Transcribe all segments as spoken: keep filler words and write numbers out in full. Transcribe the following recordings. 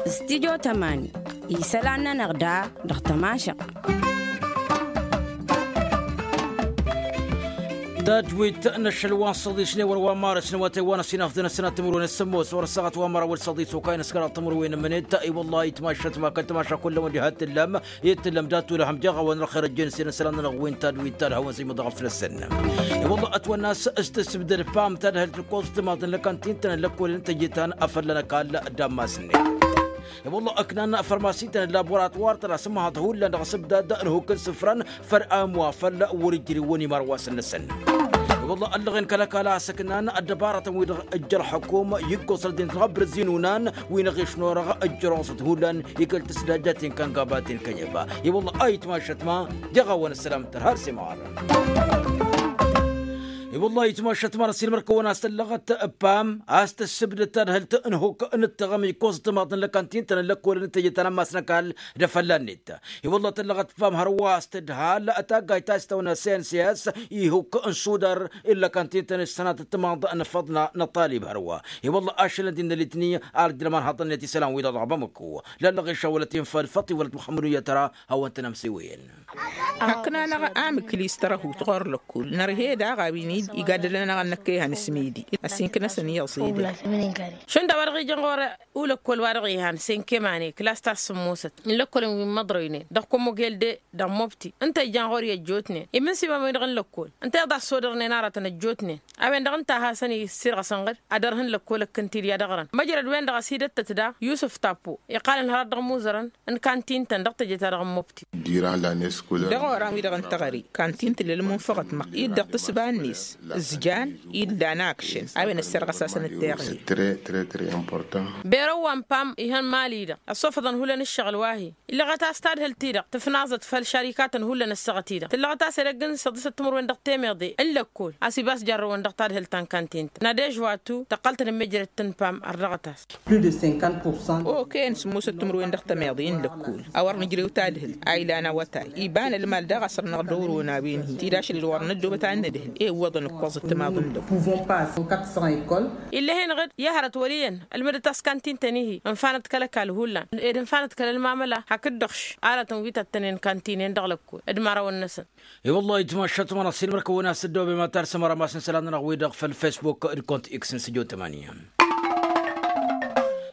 Studio tămani isălan-nănăɣ da dăɣ-tămašăɣt. Tadwit n-ašăl wa n-săḍisne wăr wa n-marăsne wa tăywanăs inafdăn ăsănat timǝrwen s-sămmos wăr ăssaɣăt wa n-mărawăl săḍis okay n-ăskăraḍ timǝrwen n-mănet. I-wălla itmašăt ma kăl-tmaša kullăm wăddi hat tǝllăm. Itǝllăm dat-ulăhăm jeɣ a-wa n-răxer ăjjeen s-inăsălan-nănăɣ wi n-tadwit talhăwăn zimăḍ ɣăf năsăn. I-wălla ătwănna a-s s-tǝssǝbdăd pam tadhǝlt tǝkkoẓ timaḍ n-lăkantintăn n-lăkkolăn tăjjăt-an afălla n-ăkall d-ammas-net. I-wălla ǝknan fărmasităn n-laboratwar-tăn a-s ǝmmăhăḍ hullan dăɣ-asǝbdad n-hukk n-isǝfran făll-amwa făll-wăr-ijrǝwăn imărwasăn-năsăn. I-wălla ăllăɣen kăl-ăkall a-s ǝknan ăddăbarătăn-wi-dăɣ ǝjj ălxăkum iggoẓ ăldin-t dăɣ-abrǝzzi n-unan wi n-aɣiš n-orăɣ ǝjjăroẓăt hullan. I-kăl-tǝsdajjaten kăngăbaten kănyăba. I-wălla a itmašăt ma jeɣ a-wa n-ăssălam tărha ălsimar. I-wălla itmašăt ma n-ăssilmăr kăwăn-as tăllăɣăt pam a-s tǝssǝbdăd tadhǝlt n-hukk n-ǝttăɣăm ikkoẓ tǝmaḍ n-lăkantintăn n-lăkkolăn n-tejăt anămmas n-ăkall d-afălla-net. I-wălla tăllăɣăt pam hărwa a-s tǝdhal taggayt ta s-tăwna s-n s-i-as ihukk n-sudar. Illa kantintăn s-sănatăt timaḍ n-afăḍna n-ăṭṭalib hărwa. I-wălla ašălăn d-innă litni ar dd-ilman haḍăn-net isălan-wi-dăɣ dăɣ-bamăko. Lallăɣ išawălăt infăl făṭṭi wălăt muxămmăd uyyăt tăra hawăn-tăn-ămsiwăyăn. Hakna-năɣ amǝkli s-tărăhut ɣur-lăkkul nărhe daɣ a-wen-dd igadălăn-anăɣ ănnăkkăyhan s-midi ăsinkǝnăsăn iyyăẓ-i-dăɣ. Šund a-wa-dăɣ ijăn ɣur-ulăkkol wa-dăɣ ihan s-enkemane klas ta s-sǝmmosăt n-lăkkolăn wi n-imăḍroynen dăɣ-kămogel de dăɣ-mobti ǝnta ijăn ɣur-i ăjjootnen imǝnsiba-wen-dăɣ n-lăkkol ǝnta iḍa ăssodărnen aratăn ăjjootnen. A-wen-dăɣ ǝnta a hasăn-isirɣăsăn ɣǝd ad-ărhǝn lăkkol ăkkăn-t-dd i-ad-ăɣrăn măjrăd-wen-dăɣ ăsidăttăt da yusǝf tappo iqqalăn hărăt dăɣ-imuzărăn n-kantin-tăn dăɣ-teje-ta-dăɣ n-mobti. Dăɣ-oran-wi-dăɣ n-teɣăre kantin tǝllăl munfăɣăt măqq-dd dăɣ-tǝsba-net ǝzjan. Illa n-akšăn a-wen ăssărɣăs-asăn ǝtteɣnen. Berăw wa n-pam ihăn mali-dăɣ ăssofăḍăn hullan ǝššăɣǝl wa-hi. Illăɣăt-as tadhǝlt-i-dăɣ tǝfnaẓăt făll-šarikatăn hullan ăssaɣăt-i-dăɣ tǝllăɣăt-as edăgg n-săḍisăt timǝrwen dăɣ-temeḍe n-lăkkol a-s ibas jarrăwăn dăɣ-tadhǝlt ta n-kantin-tăn nadej wa-tu tăqqăl-tăn n-mejrăd tǝnpam ărrăɣăt-as. Okăyăn sǝmmosăt timǝrwen dăɣ-temeḍe n-lăkkol a wăr nǝjrew tadhǝlt a ilan awătay iba n-ălmal daɣ a săr-năɣ dăɣ-wăr-wănawen-hi tidašăl-dd wăr nǝddobăt ad-nǝdhǝl i-iwwăḍăn ǝkkoẓăt timaḍ n-lăkkol. Ill'-e-hen ɣǝd i-hărăt wăl' iyyăn ălmădăt-as kantin-tăn-ihi ǝnfanăt kăl-ăkall hullan ed ǝnfanăt kăl-ălmamăla hakd-dăɣ š-aratăn wi tăttănen kantinen dăɣ-lăkkol d-imărawăn-năsăn. I-wăllah itmašat ma n-asilmăr-kăwăn a-s dd-obe ma tarsăm rămas n-isălan-nănăɣ-wi-dăɣ făll-fesbuk d-kont x n-sǝjo tămani.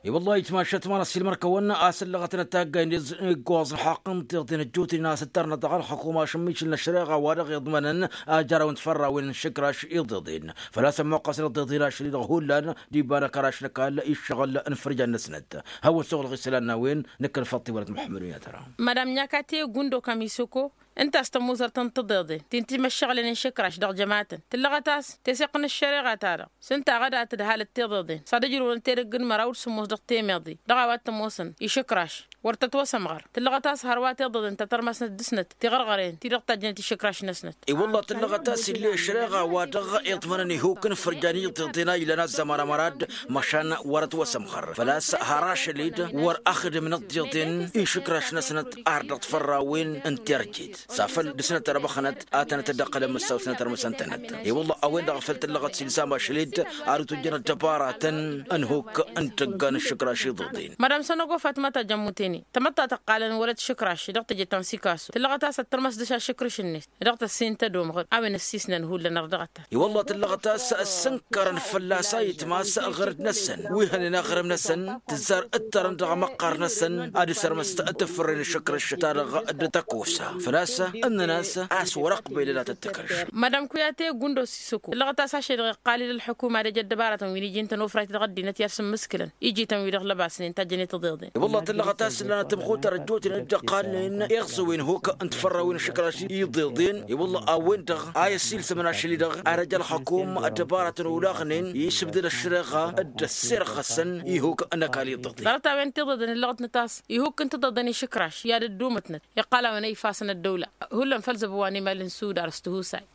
I-wăllah itmašat ma n-asilmăr-kăwăn a-s ǝllăɣăt n-ătaggayn d-iggoẓ n-ḥaqq n-tiḍen ăjjootnen a-s ǝttărnăt dăɣ-ălxăkum ašǝmmišǝl n-ăššăreɣa wa dăɣ-iḍmănăn a jărăw n-tifărrawen n-išǝkraš iḍeḍen. Făl-a-s ămmuqqăs n-iḍeḍen ašăl-i-dăɣ hullan d-iba n-akăraš n-ăkall iššăɣǝl n-ifărjan-năsnăt. Hawăn-săɣlăɣ isălan n-a-wen nǝkkăn făll-tiwălăt muḥămmăd unyatăra. Madam nyakate gundo kamisoko ǝnta a-s tămuzărt n-tiḍeḍen ti n-timăššăɣlăn n-išǝkraš dăɣ-jămatăn tǝllăɣăt-as teseɣt n-ăššăreɣa-ta-dăɣ s-ǝnta a ɣăd a tǝdhalăt tiḍeḍen s-ad-ǝjrǝwăn tedăgg n-măraw d-sǝmmos dăɣ-temeḍe dăɣ-a-wa t-ămoosăn išǝkraš wăr tătwăsămɣăr. Tǝllăɣăt-as hărwa tiḍeḍen ta tărmăsnăt dăɣ-snăt tiɣărɣăren ti-dăɣ tajjănet išǝkraš-năsnăt. I-wălla tǝllăɣăt-as ill'-e ăššăreɣa wa dăɣ-iḍmănăn ihuk n-ifărjan iḍeḍen a ilan azzăman ămăra d-măšan wăr-ătwăsămɣăr făl-a-s har ašăl-dd wăr-ăxdǝmnăt tiḍen išǝkraš-năsnăt ar dăɣ-tifărrawen n-terjet. S-afăl dăɣ-snăt ărăbăxnăt ad-tănăt-dd-ăqqălăn măssaw-snăt ărmăsăn-tănăt. I-wălla a-wen-dăɣ a făl tǝllăɣăt s-ilzam ašăl-dd ar utǝjjăn ăddăbaratăn n-ihuk n-tăgga n-išǝkraš iḍeḍen. Madam sănăgo fatma ta jămmutene tămăḍta tăqqalăn wăla t-išǝkraš dăɣ-teje ta n-sikasu tǝllăɣăt-as ad-tărmăs dăɣ-s ašǝkrǝš-net dăɣ-tăssin tădomăɣ-dd a-wen ăssiisnăn hullan ărdăɣăt-as. I-wălla tǝllăɣăt-as ăssǝnkărăn fălla-s a itmas ɣărd-năsăn wi hănen aɣrǝm-năsăn tǝzzar ǝttărăn dăɣ-amăqqar-năsăn ad-ǝsărmăs tafărre n-ašǝkrǝš-ta-dăɣ d-tăkosa. Făl-a-s ǝnnăn-as a-s wăr-ăqbelăn ad-tăt-tǝkrǝš. Madam kuyate gundo sisoko tǝllăɣăt-as ašăl-i-dăɣ iqqal-dd ălḥukuma d-ejăt dăbaratăn wi n-iji ǝntăn ofrayt dăɣ-ăddinăt i-ad-sǝmmǝskǝlăn ijităn-wi-dăɣ lăbasnen tajjăn i-tiḍeḍen. I-wălla tǝllăɣăt-as ǝllanăt tămxutăr ăjjootnen dd-ăqqalnen iɣẓǝwen huk n-tifărrawen n-išǝkraš iḍeḍen. I-wălla a-wen-dăɣ a i-ăssiilsămăn ašăl-i-dăɣ ar ăj ălxăkum ăddăbaratăn olaɣnen isǝbdăd ăššăreɣa d-ăssirɣăsăn ihuk n-ăkall iḍeḍen. Ḍarăt-a-wen tiḍeḍen ǝllăɣătnăt a-s ihuk n-tiḍeḍen išǝkraš i-ad-ăddumătnăt iqqal a-wen a ifassăn ăddăwla. Hullan făll-zăbwa n-imal n-sudar s-tihusay.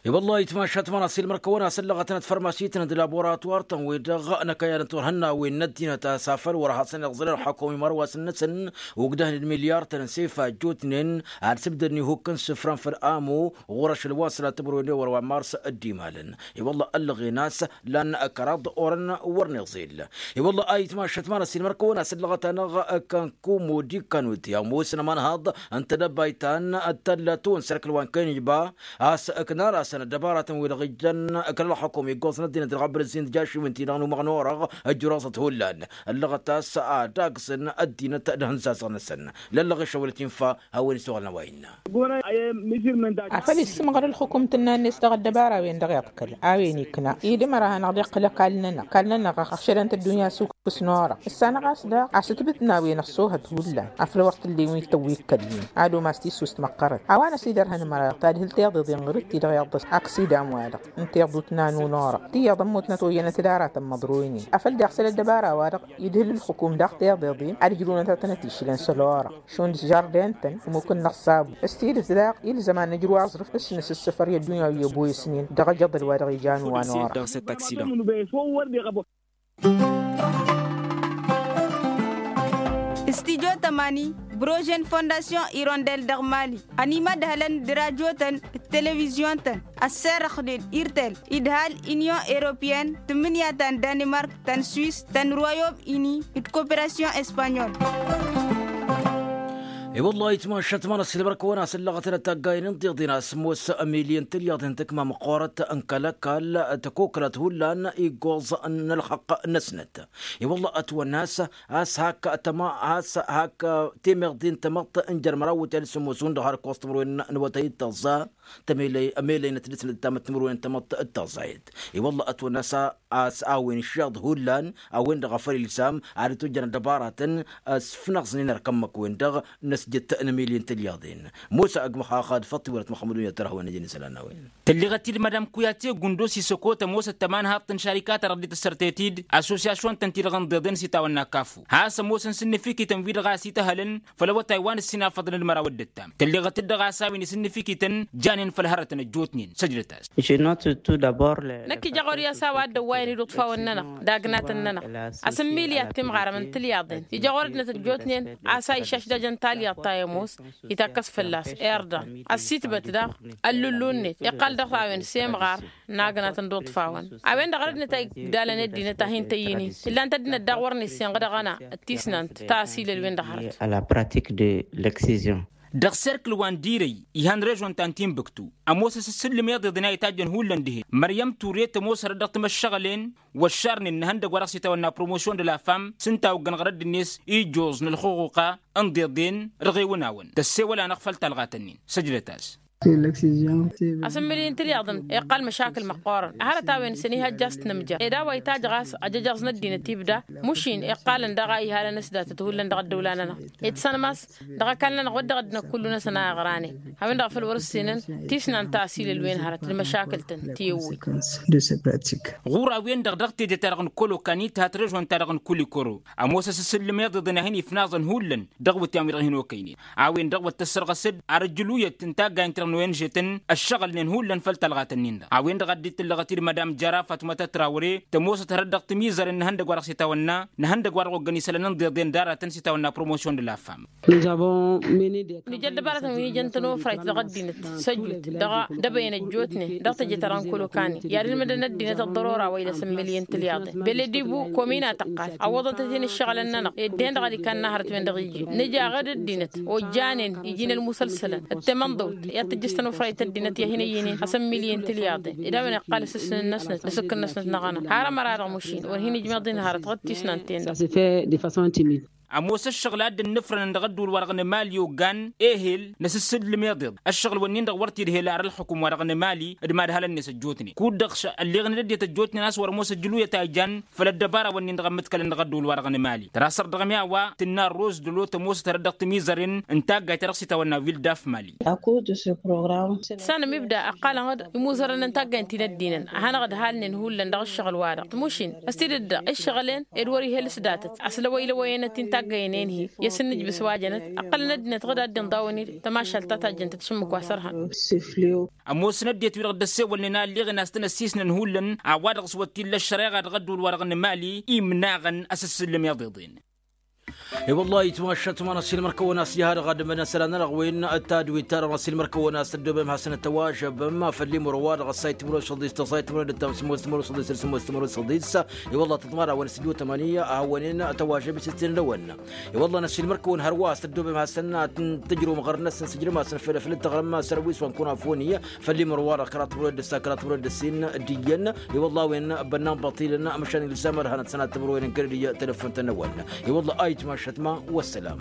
I-wăllah itmašat ma n-asilmăr-kăwăn a-s ǝllăɣătnăt fărmasitnăn d-laboratwar-tăn-wi-dăɣ n-ăkăyad n-turhǝnna-wen n-ăddinăt a-s afăl wăr hasăn-iẓẓǝl ălxăkum imărwasăn-năsăn. Ugdăhnen d-milyar-tăn n-sefa ăjjootnen ad-sǝbdădăn ihukk n-isǝfran făll-amu ɣur-ašăl wa n-sălat timǝrwen d-ewăr wa n-mars. Dd-imalăn i-wălla ăllăɣen a-s lan kăraḍ orăn wăr n-iẓil. I-wălla a itmašăt ma n-ăssiilmăr-kăwăn a-s ăllăɣăt-anăɣ kănkumo d-ikkanut i-ămoosăn ămanhaḍ n-tedăbayt ta n-tălla tawăn s-erk ălwan kăy-nǝjba a-s ǝknan-asăn ăddăbaratăn-wi-dăɣ ijjăn kăl-ălxukum iggoẓăn ăddinăt dăɣ-abrǝzzin d-jašǝwǝn-ti-dăɣ n-umăɣ n-orăɣ. Ǝjruẓăt hullan ăllăɣăt a-s ad-agǝsăn ăddinăt d-ihǝnzazăɣ-năsăn. Lăllăɣ išăwălăt infa a-wen isuɣălăn a-wa innă. Afăl issǝmɣăr ǝlxǝkum tǝnna-net dăɣ-ăddăbara-wen-dăɣ iḍkăl a-wen ikna idǝmăr a hanăɣ-dd-iqqǝl ăkall-nănăɣ ăkall-nănăɣ ăɣšădăn-t ăddunya s-ukǝs n-orăɣ. Ǝssanăɣ-as daɣ a-s ǝtbǝtna a-wen ăṣṣoohăt hullan afăl wăr t-ǝllen wi t-ăwwikkălnen ad-umas tissust măqqărăt a-wa n-ăsidărhăn măraɣ tadhǝlt iḍeḍen ɣur-dd-ti-dăɣ iḍăs aksidan-wa-dăɣ n-tiḍut n-anun orăɣ tiyyăḍ ămmutnăt oyyănăt d-aratăn măḍroynen. Afăl daɣ isăl ăddăbara-wa-dăɣ idhǝl ǝlxǝkum daɣ tiḍeḍen ad-ǝjrǝwnăt ad-tănăt-išlăn săl orăɣ šund žardin-tăn ămmuk n-inăṣṣabu. S-tidǝt daɣ ilzăm ad-nǝjrǝw aẓrǝf s-nǝsǝssǝfăr i-ăddunya wi ăboyăsnen dăɣ-ajăḍăl wa dăɣ-ijan wa n-orăɣ. Studyo tămani brožen fondasyon irondel dăɣ-mali ănimădhălăn d-rajotăn d-televizyon-tăn ăsserăxnen irtel idhal inyon europeyăn tǝmmǝnǝya ta n-danimark ta n-swis ta n-royom ini d-koperasyon espanyol. I-wăllah itmašăt ma n-ăssiilmăr-kăwăn a-s ǝllăɣătăn ătaggayen n-tiḍen a-s ămoos ămiliyăn tǝlyaḍen tǝkma măqqoorăt n-kăl-ăkall tăkoklat hullan iggoẓ n-ălxăqq-năsnăt. I-wăllah ătwănna a-s a-s hak tăma a-s hak temeḍe n-tamăḍt n-jer-măraw wătay n-sǝmmos hundăɣ har ǝkkoẓ timǝrwen n-awătay d-tăẓẓa. Tămelăy ămelăynăt dăɣ-s n-ăttamăt timǝrwen n-tamăḍt d-tăẓẓayăt. I-wăllah ătwănna a-s a-s a-wen išyaḍ hullan a-wen-dăɣ a făl ilsam ad-dd-tojjăn ăddăbaratăn s-fnăẓnen ărkămmăk-wen-dăɣ n-ăsjăt n-emilyen tǝlyaḍen. Mosa ăgg măxaxad făṭṭ iwărăt măxmădun i-ad-tărhăwăn ăjăn isălan n-a-wen. Tălleɣăt-dd madam kuyate gundos isăkot ămoosăt tămanhaḍt n-šarikatăn ărdit ăssărtet-dd assosyasyon-tăn-ti-dăɣ ǝnḍeḍen s-itawănna kafu has-ămoosăn s-ǝnnǝfikităn wi-dăɣ a ăsităhălăn făll-awătay wa n-ǝssin afăḍăn d-măraw d-ǝttam. Tălleɣăt-dd dăɣ-a-s a-wen isǝnnǝfikităn janen făll-hărătăn ăjjootnen săjdăt-as. Năkk ija ɣur-i a-s a-wa dd-ăwwayăn iduṭfawăn-nănăɣ d-agnatăn-nănăɣ asǝmmiliyat timɣarăm n-tǝlyaḍen ija ɣur-ăddinăt ăjjootnen a-s a išaš d-ajăn talyaḍt ta i-ămoos itakkăs fălla-s irḍan ăssitbăt daɣ ăllullu-net iqqal dăɣ-a-wen s-imɣar n-agnatăn d-uṭfawăn. A-wen-dăɣ ărădnăt a igdalăn ăddinăt a hin-tăyyǝnin ǝllan-t ăddinăt daɣ wăr n-issinɣǝd aɣăna d-tisnant ta ăsilăl-wen-dăɣ hărăt. Dăɣ-serkǝl wa n-dirăy ihan režon ta n-tinbǝktu ămoos asǝssǝllǝm iḍeḍen a itajjăn hullan dihen măryăm ture tămoos hărăt dăɣ-timăššăɣǝlen wăššarnen n-ihăndăgg wa dăɣ-s itawănna promosyon d-la fam s-ǝnta a oggăn ɣur-ăddinăt ijjuẓ n-ălxuɣuqa n-iḍeḍen. Dăɣ-ewăn-awăn tăssewăl-anăɣ făll-talɣat-nin săjdăt-as. Asǝmmǝlǝy n-tilyaḍăn iqqal măšakǝl măqqoorăn hărăt a-wen s-ănihăjja a-s t-nǝmja ed a-wa itajj ɣas ajăjăẓ n-ăddinăt ibda. Mušin iqqalăn daɣ a ihalăn s-datăt hullan dăɣ-ăddăwla-nănăɣ itsănmas dăɣ-ăkall-nănăɣ wăr dăɣ-ăddinăt kullu-năsăn a iɣranen. A-wen-dăɣ a făl wăr-ǝssinăn tisnant ta ăsilăl-wen hărăt d-măšakǝl-tăn ti ǝwwǝy. Ɣur-a-wen-dăɣ dăɣ-teje-ta-dăɣ n-kolokan ithat režon-ta-dăɣ n-kulikoro ămoos asǝssǝllǝm iḍeḍen a hin-ifnaẓăn hullan dăɣ-iwǝtyan wi-dăɣ hin-okăynen. A-wen-dăɣ wăr tăssărɣăs-dd arǝjjǝluyăt n-taggayen-ti-dăɣ n-oenže-tăn ăššăɣǝlnen hullan făll-talɣat-nin-dăɣ a-wen-dăɣ a dd-tǝllăɣăt-dd madam jara fatmăta trawre tămoosăt hărăt dăɣ-timizăren n-ihăndăgg wa dăɣ-s itawănna n-ihăndăgg wa dăɣ-oggăn isălan n-iḍeḍen d-aratăn s-itawănna promosyon d-la fam. Nǝja ăddăbaratăn wi n-ijăn tănofrayt dăɣ-ăddinăt săjut dăɣ-dăbăyăn ăjjootnen dăɣ-teje-ta-dăɣ n-kolokani i-ad-ǝlmǝdăn ăddinăt ăḍḍărora wa ilăs n-milyen tǝlyaḍen beledibu komin a tăqqal ăwwăḍăn-tăt-in ǝššăɣǝlăn-nănăɣ ed dihen-dăɣ ad-ikanna hărăt wen-dăɣ iji nǝja aɣǝd ăddinăt ojjanen iji n-ălmusălsălăn d-temănḍăwt i-ad-tǝjjǝs tănufrayt ăddinăt i-ad-hin-ăyyǝynen asăn milyen tǝlyaḍen ed a-wen iqqal asǝssǝn-năsnăt n-asǝkkǝn-năsnăt n-aɣăna har ămăra-dăɣ măšin wăr hin-ijmeḍ-in hărăt ɣǝd tisnant-en-dăɣ. Ămoos ăššăɣǝl a dd-ǝnnǝfrănăn dăɣ-ădduul-wa-dăɣ n-emali oggan ehel n-asǝssǝllǝm iḍeḍ ăššăɣǝl-wǝnnin-dăɣ wăr t-idhel ar ălxukǝm-wa-dăɣ n-emali d-imadhalăn-net ăjjootnen kud-dăɣ ălleɣnen ăddinăt ăjjootnen a-s wăr-ămoos ăjjǝluyăt a ijan făll-ăddăbara-wǝnnin-dăɣ ămmǝtkălăn dăɣ-ădduul-wa-dăɣ n-emali tărasăr dăɣ-mi a-wa tǝnna ărroz dălo tămoosăt hărăt dăɣ-timizăren n-taggayt ta dăɣ-s itawănna wildaf mali. Sanăm ibda ăqqalăn-dd imuzărăn n-taggayt ti n-ăddinăn a hanăɣ-ădhalnen hullan dăɣ-ǝššăɣǝl-wa-dăɣ tmušin ăstidăt daɣ ǝššăɣǝl-en ed wăr-ihel s-datăt ăslăwăy-lăwăy-enăt ti n-taggăyăn enhi i-asǝnnǝjbǝs wa jănăt ăqqălăn ăddinăt ɣǝd a dd-inḍa wănid tămašalt ta tajjăn-tăt šǝmmǝk wa s-ărhăn. Ămoosăn ăddinăt-wi-dăɣ dd-ăssewălnen a ălleɣen a-s tăn-ăssisnăn hullan a-wa-dăɣ s-wăr t-illa ăššăreɣa dăɣ-ădduul-wa-dăɣ n-emali imnaɣăn asǝssǝllǝm iḍeḍen. I-wălla-hi ayǝtmašat ma n-asilmăr-kăwăn a-s ija ha-dăɣ ad-ǝmmǝnăn isălan-nănăɣ wen d-tadwit-ta-dăɣ n-asilmăr-kăwăn a-s tăddobem hasăn-ăttăwažăbăm făll-imǝrwa-dăɣ ăssayt timǝrwen šăḍis tăẓayt timǝrwen d-tamsǝmos timǝrwen šăḍis d-sǝmmos timǝrwen šăḍis. I-wălla-hi tăḍmar-awăn s-ǝjot tămani a hawăn-in tăwažăb isǝstin-năwăn. I-wălla-hi n-asilmăr-kăwăn hărwa a-s tăddobem hasăn ad-tǝjrǝwăm ɣărnăsăn sǝjrǝm-asăn făll-făll-dd-tăɣrǝm sărwis wa n-kunafoni făll-imǝrwa-dăɣ kăraḍ timǝrwen d-ǝssa kăraḍ timǝrwen d-ǝssin d-iyyăn. I-wălla-hi a-wen bănnan băṭilăn măšan ilzam ad-hanăt-săn ad-tǝmrăwăyăn n-kănădǝy telăffun-tăn-năwăn. I-wălla-hi ayǝtmašat ma wăssălam.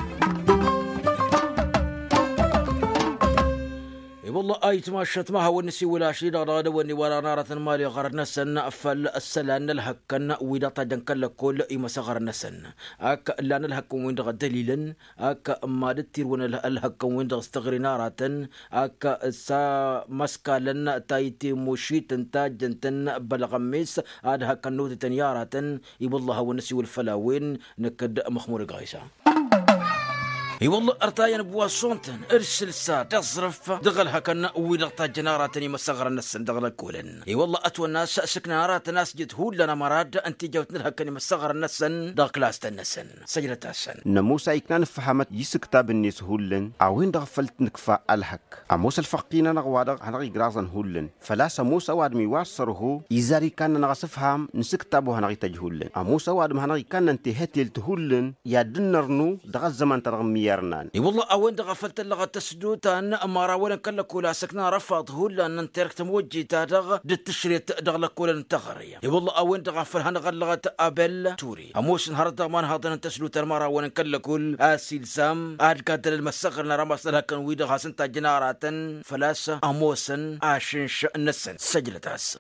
I-wălla-hi ayǝtmašat ma hawăn-nǝsiwǝl ašăl-i-dăɣ dăɣ-edăwănni wa dăɣ-năratăn mali ɣărăt-năsăn făll-ăssălan n-ălhăkkăn wi-dăɣ tajjăn kăl-lăkkol imăsăɣărăn-năsăn ak ǝllan ălhăkkăn-win-dăɣ ăddălilăn ak mad-dd-tirwăn ălhăkkăn-win-dăɣ s-tăɣri n-aratăn ak s-a măskalăn tayǝtte mušităn tajjăn-tăn bălɣămmes ad-hăkkăn n-otătăn i-aratăn. I-wălla-hi hawăn-năsiwǝl făll-a-wen năkk d-măxmud ăgɣisa. I-wălla-hi ărtayăn ăbwason-tăn d-sǝlsa d-aẓrǝf dăɣ-ălhăkăn wi-dăɣ tajjăn aratăn imăsăɣrăn-năsăn dăɣ-lăkkolăn. I-wălla-hi ătwănna a-s sǝknan aratăn a-s jăt hullan ămăra-dd ǝnta ijawt n-ălhăkăn imăsăɣrăn-năsăn dăɣ-klasăn-năsăn. Săjdăt-asăn. N-ămoos a iknan ǝffăhamăt i-isǝktab-net hullan a-wen-dăɣ făl t-nǝkfa ălhăk. Ămoos ălfăqqin-anăɣ wa-dăɣ hanăɣ-igraẓăn hullan făl-a-s ămoos ăwadǝm iwar săr-ho izar ikanna-năɣ asǝfham n-isǝktab-o hanăɣ-ităjj hullan. Ămoos ăwadǝm hanăɣ-ikanna n-tehătelt hullan i-ad-dd-nărnu dăɣ-ăzzăman-ta-dăɣ ǝmmǝyyarnan. I-wălla-hi a-wen-dăɣ a făl tăllăɣăt tăsdut ta n-imărawăn n-kăl-lăkkol a săknăn răfaḍ hullan n-terkt n-imojjit-ta-dăɣ d-tǝšret dăɣ-lăkkolăn n-teɣăre. I-wălla-hi a-wen-dăɣ a făl hanăɣ-ăllăɣăt abel ture ămoosăn hărăt dăɣ-imanhaḍăn n-tăsdut ta n-imărawăn n-kăl-lăkkol a-s ilzam ad-gaddăl ălmăssăɣrăn ar ămass n-ălhăkkăn wi-dăɣ hasăn-tajjăn aratăn făl-a-s ămoosăn ašǝnš-năsăn săjdăt-as.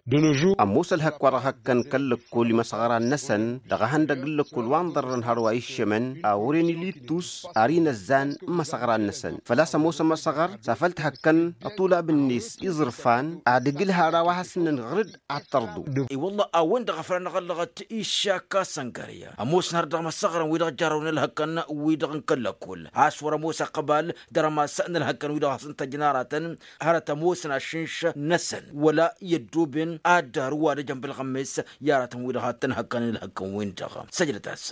Ămoos ălhăkk wa dăɣ-hăkkăn kăl-lăkkol imăsăɣran-năsăn dăɣ-ehăndăgg n-lăkkol wa n-ḍărrăn hărwa iššămăn a wăren ilittus ar inăzzan n-imăsăɣran-năsăn făl-a-s ămoos ămăsăɣăr s-afăl t-hăkkăn ăṭṭulab-net iẓrǝfan ad-ǝgǝlha ar a-wa hasǝnnăn ɣǝr-dd ad-tărḍu. I-wălla-hi a-wen-dăɣ a făl anăɣ-ăllăɣăt iššak a-s ăngărya ămoosăn hărăt dăɣ-imăsăɣrăn wi-dăɣ jarrăwăn ălhăkkăn wi-dăɣ n-kăl-lăkkol a-s wăr-ămoos ăqqăbal dăr-ămass n-ălhăkkăn wi-dăɣ hasăn-t ăjjăn aratăn hărăt ămoosăn ašǝnš-năsăn wăla i-ăddoben ad-dd-arǝw ad-ăjăn bălɣămmes i-aratăn wi-dăɣ ad-tăn-hăkkăn ălhăkkăn-win-dăɣ. Săjdăt-as.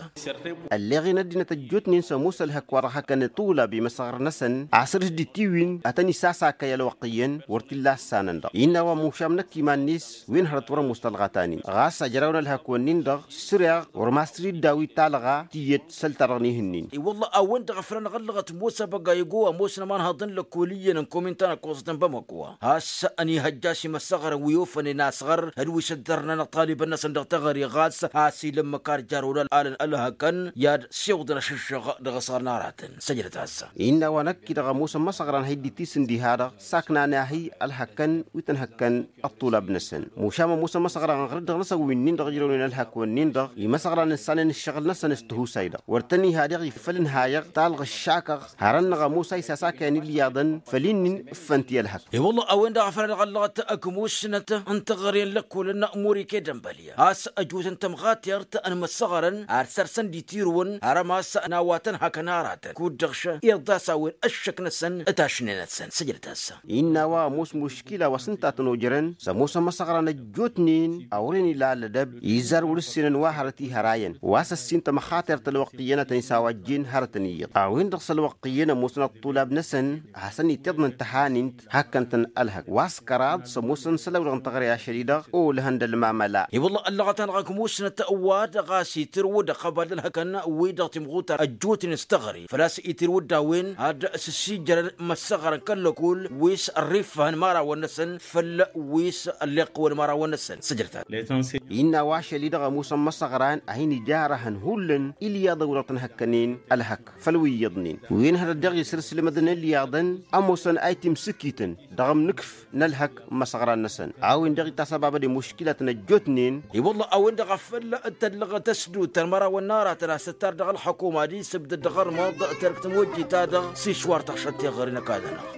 Ălleɣen ăddinăt ăjjootnen s-ămoos ălhăkk wa dăɣ-hăkkăn iṭulab i-imăsăɣrăn-năsăn asăr-s d-itiwin ad-tăn-isasak i-ălwăqq iyyăn wăr t-illa ăssanăn-dăɣ innă a-wa mušam năkk iman-net wen hărăt wăr-ămoos talɣa ta-nin ɣas ajrawăn ălhăkk-wǝnnin-dăɣ săreɣ wăr masăr-dd a-wa italɣa tiyyăt săl-ta-dăɣ n-ihǝnnin. I-wălla-hi a-wen-dăɣ a făl anăɣ-ăllăɣăt mosa băgaygo ămoosăn ămanhăḍ n-lăkkol iyyăn n-komin ta n-ăkkoẓăt n-bamăkwa a-s ănihăjja a-s imăssăɣrăn wi ofănen asɣăr d-wi s-ǝddărnăn ăṭṭalibăn-năsăn dăɣ-teɣăre ɣas a-s ila ǝmmǝk ar jarrăwăn alăn ălhăkăn i-ad-siwǝḍăn ašǝššăɣ dăɣ-asɣăr n-aratăn săjdăt-as. Innă a-wa năkk-i-dăɣ ămoos ămmăsăɣran ha dd-itisǝndi ha-dăɣ saknan ahi ălhăkkăn wi tăn-hăkkăn ăṭṭulab-năsăn mušam ămoos ămmăsăɣran ɣărăt dăɣ-năsăn wi-nin-dăɣ ǝjrăwnen ălhăkk-wǝnnin-dăɣ imăsăɣran ǝssanăn ǝššăɣǝl-năsăn s-tihusay-dăɣ wăr tăn-iha deɣ ifăl ǝnhayăɣ talɣa ǝššakăɣ hărăn-năɣ ămoos a isasakăyăn ilyaḍăn făll-in-in ǝffăn ti-ălhăk. I-wălla a-wen-dăɣ a făl anăɣ-ăllăɣăt ăkmusnăt n-teɣăre n-lăkkolăn n-murike d-ănbălya a-s ăjutăn tămɣatert n-imăssăɣrăn ad-sărsăn d-itirǝwăn har ămass n-a-wa tăn-hakăn aratăn kud-dăɣ šăn iḍas a-wen ăššăk-năsăn d-tašne-năsăn săjdăt-as. Innă a-wa ămoos muškila wa s-ǝnta a tăn-ojărăn s-ămoos ămăsăɣran ăjjootnen a wăren ila alădăb izzar wăr-ǝssinăn wa hărăt ihărayăn wa s-ăssin tămăxatert ălwăqq iyyăn a tăn-isawajjen hărătăn iyyăḍ a-wen-dăɣ s-ălwăqq iyyăn ămoosăn ăṭṭulab-năsăn hasăn-itiḍnăn tăhanint hăkkăn-tăn ălhăk wa s-kăraḍ s-ămoosăn isălan-wi-dăɣ n-teɣăre ašăl-i-dăɣ olăhăn d-ălmamăla. I-wălla ăllăɣăt-anăɣ ăkmusnăt wa dăɣ-a-s itǝrwǝd ăqqăbal d-ălhăkăn wi-dăɣ timɣutar ăjjootnen s-teɣăre făl-a-s itǝrwǝd a-wen ad-sǝssijjărăn imăssăɣrăn kăl-lăkol wi s-ărrifăhăn imărawăn-năsăn făll-wi s-ălleɣ-wăn imărawăn-năsăn săjdăt-as. Innă a-wa ašăl-i-dăɣ ămoosăn imăsăɣran a hin-ijarăhăn hullan ilyaḍăn wi-dăɣ tăn-hăkkănen ălhăk făll-wi iyyăḍnen wi n-hărăt daɣ isǝrsǝlmădăn ilyaḍăn ămoosăn a itimsǝkităn dăɣ-ǝmnǝkǝf n-ălhăk n-imăsăɣran-năsăn a-wen-dăɣ itasăbabăd i-muškilatăn ăjjootnen. I-wălla a-wen-dăɣ a făl tăllăɣăt ăsdut ta n-imărawăn n-aratăn a-s tǝttar dăɣ-ălxăkum ad-isǝbdăd dăɣ-ărmăḍ terk tămojjit-ta-dăɣ s-išwar tăɣšăt teɣăre n-ăkall-nănăɣ.